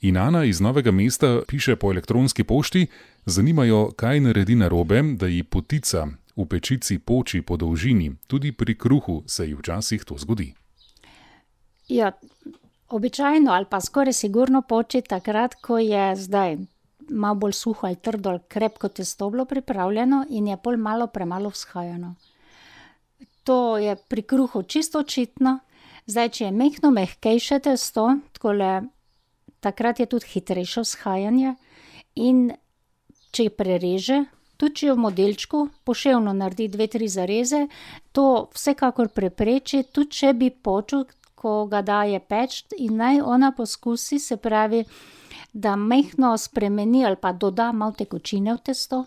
In Ana iz Novega mesta piše po elektronski pošti, zanimajo, kaj naredi narobe, da ji potica v pečici poči po dolžini. Tudi pri kruhu se ji včasih to zgodi. Ja, običajno ali pa skoraj sigurno poči takrat, ko je zdaj malo bolj suho ali trdo ali krepko testo bilo pripravljeno in je pol malo premalo vzhajano. To je pri kruhu čisto očitno. Zdaj, če je mehko mehkejše testo, takrat je tudi hitrejše vzhajanje in če prereže, tudi če je v modelčku, poševno naredi 2-3 zareze, to vsekakor prepreči, tudi če bi počel, ko ga daje peč, in naj ona poskusi, se pravi, da mehko spremeni ali pa doda malo tekočine v testo.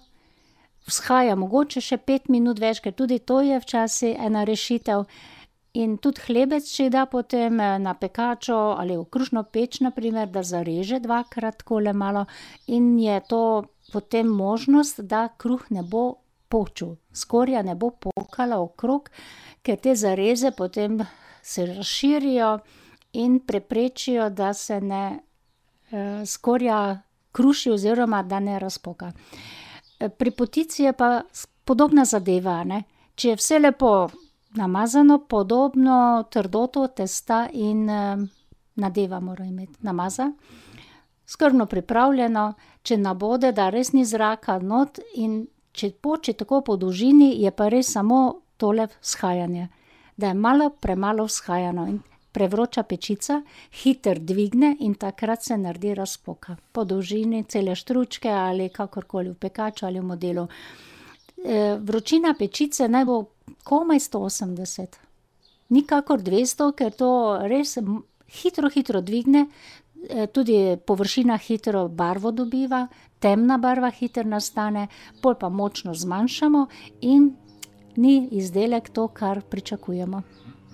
Vzhaja mogoče še 5 minut več, ker tudi to je včasih ena rešitev. In tudi hlebec, če da potem na pekačo ali v krušno peč, na primer, da zareže 2-krat takole malo in je to potem možnost, da kruh ne bo počil. Skorja ne bo pokala okrog, ker te zareze potem se razširijo in preprečijo, da se ne skorja kruši oziroma da ne razpoka. Pri potici je pa podobna zadeva, ne. Če je vse lepo namazano, podobno trdoto testa in nadeva mora imeti, namaza. Skrbno pripravljeno, če nabode, da res ni zraka not, in če poči tako po dolžini, je pa res samo tole vzhajanje. Da je malo premalo vzhajano in prevroča pečica hitro dvigne in takrat se naredi razpoka. Po dolžini cele štručke ali kakorkoli v pekaču ali v modelu. Vročina pečice naj bo komaj 180. Nikakor 200, ker to res hitro dvigne, tudi površina hitro barvo dobiva, temna barva hitro nastane, pol pa močno zmanjšamo in ni izdelek to, kar pričakujemo.